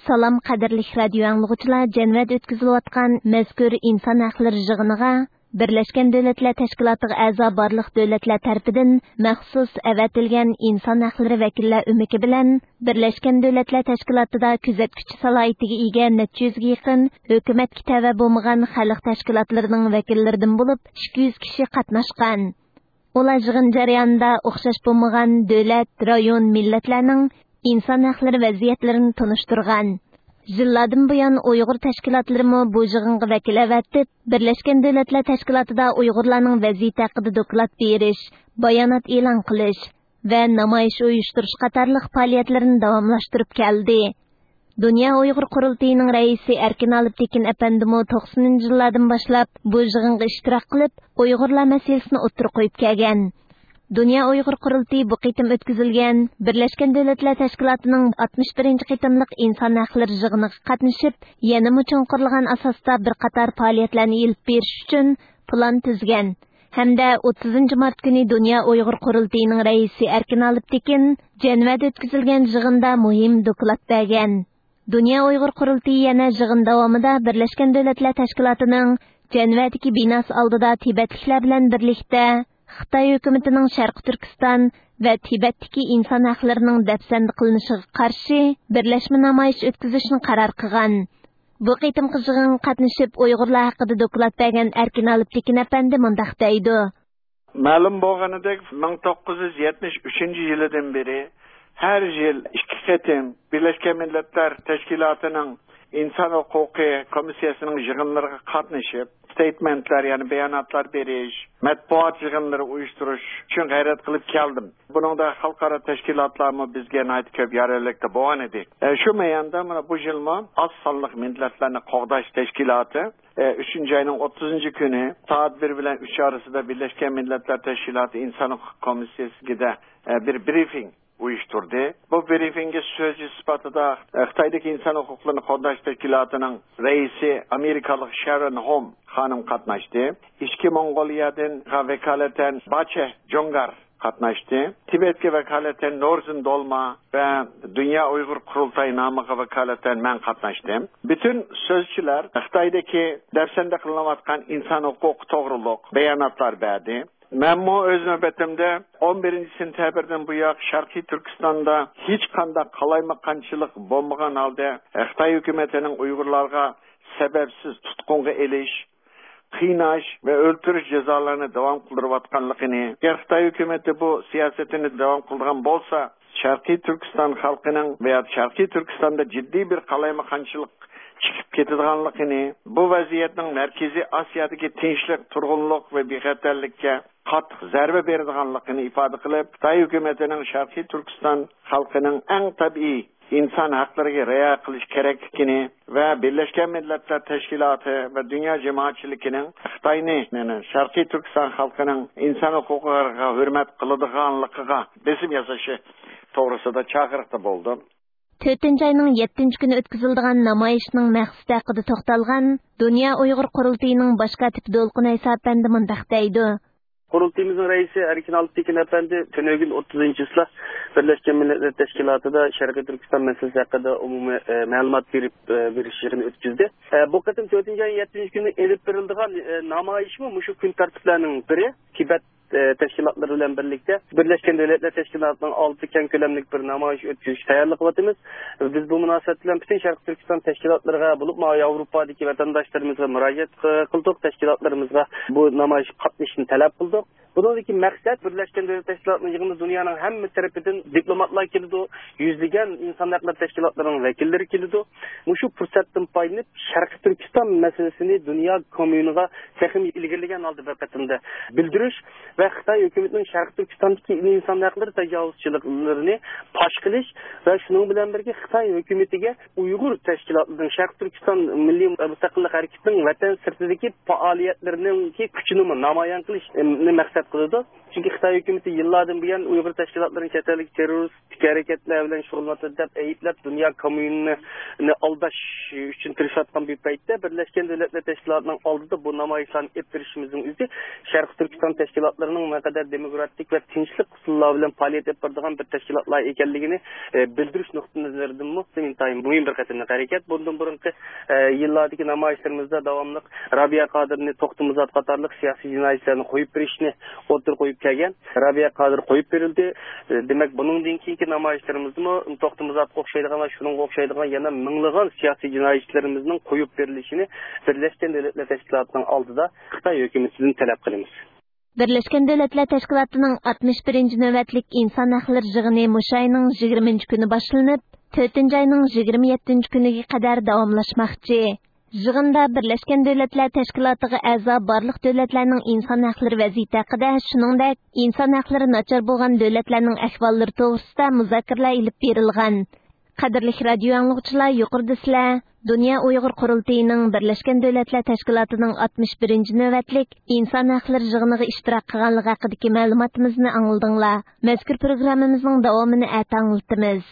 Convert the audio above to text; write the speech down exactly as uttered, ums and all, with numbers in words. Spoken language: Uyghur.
سالام، قەدىرلىك رادىيو ئاڭلىغۇچىلار، جەنۋەدە ئۆتكۈزۈلۈۋاتقان مەزكۇر ئىنسان ھەقلىرى يىغىنىغا بىرلەشكەن دۆلەتلەر تەشكىلاتىغا ئەزا بارلىق دۆلەتلەر تەرىپىدىن مەخسۇس ئەۋەتىلگەن ئىنسان ھەقلىرى ۋەكىللەر ئۆمىكى بىلەن بىرلەشكەن دۆلەتلەر تەشكىلاتىدا كۆزەتكۈچى سالاھىيىتىگە ئىگە نەچچە يۈزگە يېقىن ھۆكۈمەتكە تەۋە بولمىغان خەلق تەشكىلاتلىرىنىڭ ۋەكىللىرىدىن بولۇپ ئىككى يۈز كىشى قاتناشقان. ئۇلار يىغىن جەريانىدا ئوخشاش بولمىغان دۆلەت، رايون، مىللەتلەرنىڭ ئىنسان ھەقلىرى ۋەزىيەتلىرىنى تونۇشتۇرغان. يىللاردىن بۇيان ئۇيغۇر تەشكىلاتلىرىمۇ بۇ يىغىنغا ۋەكىل ئەۋەتىپ، بىرلەشكەن دۆلەتلەر تەشكىلاتىدا ئۇيغۇرلارنىڭ ۋەزىيىتى ھەققىدە دوكلات بېرىش، بايانات ئېلان قىلىش ۋە نامايىش ئۇيۇشتۇرۇش قاتارلىق پائالىيەتلىرىنى داۋاملاشتۇرۇپ كەلدى. دۇنيا ئۇيغۇر قۇرۇلتىيىنىڭ رەئىسى ئەركىن ئالپتېكىن ئەپەندىمۇ توقسىنىنچى يىللاردىن باشلاپ بۇ يىغىنغا ئىشتىراك قىلىپ، ئۇيغۇرلار مەسىلىسىنى ئوتتۇرىغا قويۇپ كەلگەن. دۇنيا ئۇيغۇر قۇرۇلتىيى بۇ قېتىم ئۆتكۈزۈلگەن بىرلەشكەن دۆلەتلەر تەشكىلاتىنىڭ ئاتمىش بىرىنچى قېتىملىق ئىنسان ھەقلىرى يىغىنىغا قاتنىشىپ، يەنىمۇ چوڭقۇرلىغان ئاساستا بىر قاتار پائالىيەتلەرنى ئېلىپ بېرىش ئۈچۈن پىلان تۈزگەن ھەمدە ئوتتۇزىنچى مارت كۈنى دۇنيا ئۇيغۇر قۇرۇلتىيىنىڭ رەئىسى ئەركىن ئالپتېكىن جەنۋەدە ئۆتكۈزۈلگەن يىغىندا مۇھىم دوكلات بەرگەن. دۇنيا ئۇيغۇر قۇرۇلتىيى يەنە يىغىن داۋامىدا بىرلەشكەن دۆلەتلەر تەشكىلاتىنىڭ جەنۋەدىكى بىناسى ئالدىدا تىبەتلىكلەر بىلەن بىرلىكتە خىتاي ھۆكۈمىتىنىڭ شەرقىي تۈركىستان ۋە تىبەتتىكى ئىنسان ھەقلىرىنىڭ دەپسەندە قىلىنىشىغا قارشى بىرلەشمە نامايىش ئۆتكۈزۈشنى قارار قىلغان. بۇ قېتىمقى يىغىنغا قاتنىشىپ، ئۇيغۇرلار ھەققىدە دوكلات بەرگەن ئەركىن ئالپتېكىن ئەپەندى مۇنداق دەيدۇ. مەلۇم بولغىنىدەك، مىڭ توققۇز يۈز يەتمىش ئۈچىنچى يىلىدىن بېرى ھەر يىل ئىككى قېتىم بىرلەشكەن مىللەتلەر تەشكىلاتىنىڭ ئىنسان ھوقۇقى كومىسسىيەسىنىڭ يىغىنلىرىغا قاتنىشىپ، ستېيتمېنتلار، يەنى باياناتلار بېرىش، مەتبۇئات يىغىنلىرى ئۇيۇشتۇرۇش ئۈچۈن غەيرەت قىلىپ كەلدىم. بۇنىڭدا خەلقئارا تەشكىلاتلارمۇ بىزگە ناھايىتى كۆپ يارەنلىكتە بولغان ئىدى. ئە، شۇ مەيداندا مانا بۇ يىلمۇ ئاز سانلىق مىللەتلەرنى قوغداش تەشكىلاتى ئۈچىنچى ئاينىڭ ئوتتۇزىنچى كۈنى سائەت بىر بىلەن ئۈچ ئارىسىدا بىرلەشكەن مىللەتلەر تەشكىلاتى ئىنسان ھوقۇق كومىسسىيەسىگە بىر برىفىڭ ئۇيۇشتۇردى. بۇ برىفىڭگە سۆزچى سۈپىتىدە خىتايدىكى ئىنسان ھوقۇقلىرىنى قوغداش تەشكىلاتىنىڭ رەئىسى ئامېرىكالىق شارون ھوم خانىم قاتناشتى. ئىچكى موڭغۇلىيەدىن ۋاكالىتەن باچە جوڭگار قاتناشتى. تىبەتكە ۋاكالىتەن نورزىن دولما ۋە دۇنيا ئۇيغۇر قۇرۇلتايى نامىغا ۋاكالىتەن مەن قاتناشتىم. پۈتۈن سۆزچىلەر خىتايدىكى دەپسەندە قىلىنىۋاتقان ئىنسان ھوقۇقى توغرۇلۇق باياناتلار بەردى. مەنمۇ ئۆز نۆۋىتىمدە ئون بىرىنچى سېنتەبىردىن بۇياق شەرقىي تۈركىستاندا ھېچقانداق قالايمىقانچىلىق بولمىغان ھالدا خىتاي ھۆكۈمىتىنىڭ ئۇيغۇرلارغا سەۋەبسىز تۇتقۇنغا ئېلىش، قىيناش ۋە ئۆلتۈرۈش جازالىرىنى داۋام قىلدۇرۇۋاتقانلىقىنى، ئەگەر خىتاي ھۆكۈمىتى بۇ سىياسىتىنى داۋام قىلىدىغان بولسا، شەرقىي تۈركىستان خەلقىنىڭ ۋە يا شەرقىي تۈركىستاندا جىددىي بىر قالايمىقانچىلىق چىقىپ كېتىدىغانلىقىنى، بۇ ۋەزىيەتنىڭ مەركىزىي ئاسىيادىكى تىنچلىق، تۇرغۇنلۇق ۋە بىخەتەرلىككە قاتتىق زەربە بېرىدىغانلىقىنى ئىپادە قىلىپ، خىتاي ھۆكۈمىتىنىڭ شەرقىي تۈركىستان خەلقىنىڭ ئەڭ تەبىئىي ئىنسان ھەقلىرىگە رىئايە قىلىش كېرەكلىكىنى ۋە بىرلەشكەن مىللەتلەر تەشكىلاتى ۋە دۇنيا جامائەتچىلىكىنىڭ خىتاينى، يەنى شەرقىي تۈركىستان خەلقىنىڭ ئىنسان ھوقۇقىغا ھۆرمەت قىلىدىغانلىقىغا بېسىم ياسىشى توغرىسىدا چاقىرىقتا بولدۇم. تۆتىنچى ئاينىڭ يەتتىنچى كۈنى ئۆتكۈزۈلىدىغان نامايىشنىڭ مەقسىتى ھەققىدە توختالغان دۇنيا ئۇيغۇر قۇرۇلتىيىنىڭ باش كاتىپى دولقۇن ئەيسا ئەپەندى مۇنداق دەيدۇ. قۇرۇلتىيىمىزنىڭ رەئىسى ئەركىن ئالپتېكىن ئەپەندى تۈنۈگۈن ئوتتۇزىنچى چىسلا بىرلەشكەن مىللەتلەر تەشكىلاتىدا شەرقىي تۈركىستان مەسىلىسى ھەققىدە ئومۇمىي، ئە، مەلۇمات بېرىپ، ئە، بېرىش يىغىنى ئۆتكۈزدى. ئە، بۇ قېتىم تۆتىنچى ئاينىڭ يەتتىنچى كۈنى ئېلىپ بېرىلىدىغان، ئە، نامايىشمۇ مۇشۇ كۈن تەرتىپلەرنىڭ بىرى. تىبەت، ئە، تەشكىلاتلىرى بىلەن بىرلىكتە بىرلەشكەن دۆلەتلەر تەشكىلاتىنىڭ ئالدىدا كەڭ كۆلەملىك بىر نامايىش ئۆتكۈزۈشكە تەييارلىق قىلىۋاتىمىز. بىز بۇ مۇناسىۋەت بىلەن پۈتۈن شەرقىي تۈركىستان تەشكىلاتلىرىغا، بولۇپمۇ ياۋروپادىكى ۋەتەنداشلىرىمىزغا مۇراجىئەت قىلدۇق، تەشكىلاتلىرىمىزغا بۇ نامايىشقا قاتنىشىشنى تەلەپ قىلدۇق. بۇنىڭدىكى مەقسەت، بىرلەشكەن دۆلەت تەشكىلاتىنىڭ يىغىنىدا دۇنيانىڭ ھەممە تەرىپىدىن دىپلوماتلار كېلىدۇ، يۈزلىگەن ئىنسان ھەقلىرى تەشكىلاتلىرىنىڭ ۋەكىللىرى كېلىدۇ. مۇشۇ پۇرسەتتىن پايدىلىنىپ، شەرقىي تۈركىستان مەسىلىسىنى دۇنيا كوممۇنىغا تېخىمۇ ئىلگىرىلىگەن ھالدا بىر قېتىمدا بىلدۈرۈش ۋە خىتاي ھۆكۈمىتىنىڭ شەرقىي تۈركىستاندىكى ئىنسان ھەقلىرى تاجاۋۇزچىلىقلىرىنى پاش قىلىش ۋە شۇنىڭ بىلەن بىرگە خىتاي ھۆكۈمىتىگە ئۇيغۇر تەشكىلاتلىرىنىڭ، شەرقىي تۈركىستان مىللىي مۇستەقىللىق ھەرىكىتىنىڭ ۋەتەن سىرتىدىكى پائالىيەتلىرىنىڭكى كۈچىنىمۇ نامايان قىلىشنى مەقسەت قىلىدۇ. چۈنكى خىتاي ھۆكۈمىتى يىللاردىن بۇيان ئۇيغۇر تەشكىلاتلىرىنى چەت ئەلدىكى تېررورىستىك ھەرىكەتلەر بىلەن شۇغۇللىنىۋاتىدۇ دەپ ئەيىبلەپ، دۇنيا كوممۇنىنى ئالداش ئۈچۈن تىرىشىۋاتقان بىر پەيتتە، بىرلەشكەن دۆلەتلەر تەشكىلاتىنىڭ ئالدىدا بۇ نامايىشلارنى ئېلىپ بېرىشىمىزنىڭ ئۆزى شەرقىي تۈركىستان تەشكىلاتلىرىنىڭ نەقەدەر دېموكراتىك ۋە تىنچلىق ئۇسۇللار بىلەن پائالىيەت ئېلىپ بارىدىغان بىر تەشكىلاتلار ئىكەنلىكىنى، ئە، بىلدۈرۈش نۇقتىئىنەزىرىدىنمۇ ئىنتايىن مۇھىم بىر قېتىملىق ھەرىكەت. بۇندىن بۇرۇنقى، ئە، يىللاردىكى نامايىشلىرىمىزدا داۋاملىق رابىيە قادىرنى، توختى مۇزات قاتارلىق سىياسىي جىنايەتچىلەرنى قويۇپ بېرىشنى ئوتتۇرىغا قويۇپ كەلگەن. رابىيە قادىر قويۇپ بېرىلدى. ئە، دېمەك، بۇنىڭدىن كېيىنكى نامايىشلىرىمىزدىمۇ توختى مۇزاتقا ئوخشايدىغان ۋە شۇنىڭغا ئوخشايدىغان يەنە مىڭلىغان سىياسىي جىنايەتچىلىرىمىزنىڭ قويۇپ بېرىلىشىنى بىرلەشكەن دۆلەتلەر تەشكىلاتىنىڭ ئالدىدا خىتاي ھۆكۈمىتىدىن تەلەپ قىلىمىز. بىرلەشكەن دۆلەتلەر تەشكىلاتىنىڭ ئاتمىش بىرىنچى نۆۋەتلىك ئىنسان ھەقلىرى يىغىنى مۇشۇ ئاينىڭ يىگىرمىنچى كۈنى باشلىنىپ، تۆتىنچى ئاينىڭ يىگىرمە يەتتىنچى كۈنىگە قەدەر داۋاملاشماقچى. يىغىندا بىرلەشكەن دۆلەتلەر تەشكىلاتىغا ئەزا بارلىق دۆلەتلەرنىڭ ئىنسان ھەقلىرى ۋەزىيىتى ھەققىدە، شۇنىڭدەك ئىنسان ھەقلىرى ناچار بولغان دۆلەتلەرنىڭ ئەھۋاللىرى توغرىسىدا مۇزاكىرىلەر ئېلىپ بېرىلغان. قەدىرلىك رادىيو ئاڭلىغۇچىلار، يۇقىرىدا سىلەر دۇنيا ئۇيغۇر قۇرۇلتىيىنىڭ بىرلەشكەن دۆلەتلەر تەشكىلاتىنىڭ ئاتمىش بىرىنچى نۆۋەتلىك ئىنسان ھەقلىرى يىغىنىغا ئىشتىراك قىلغانلىقى ھەققىدىكى مەلۇماتىمىزنى ئاڭلىدىڭلار. مەزكۇر پروگراممىمىزنىڭ داۋامىنى ئەتە ئاڭلىتىمىز.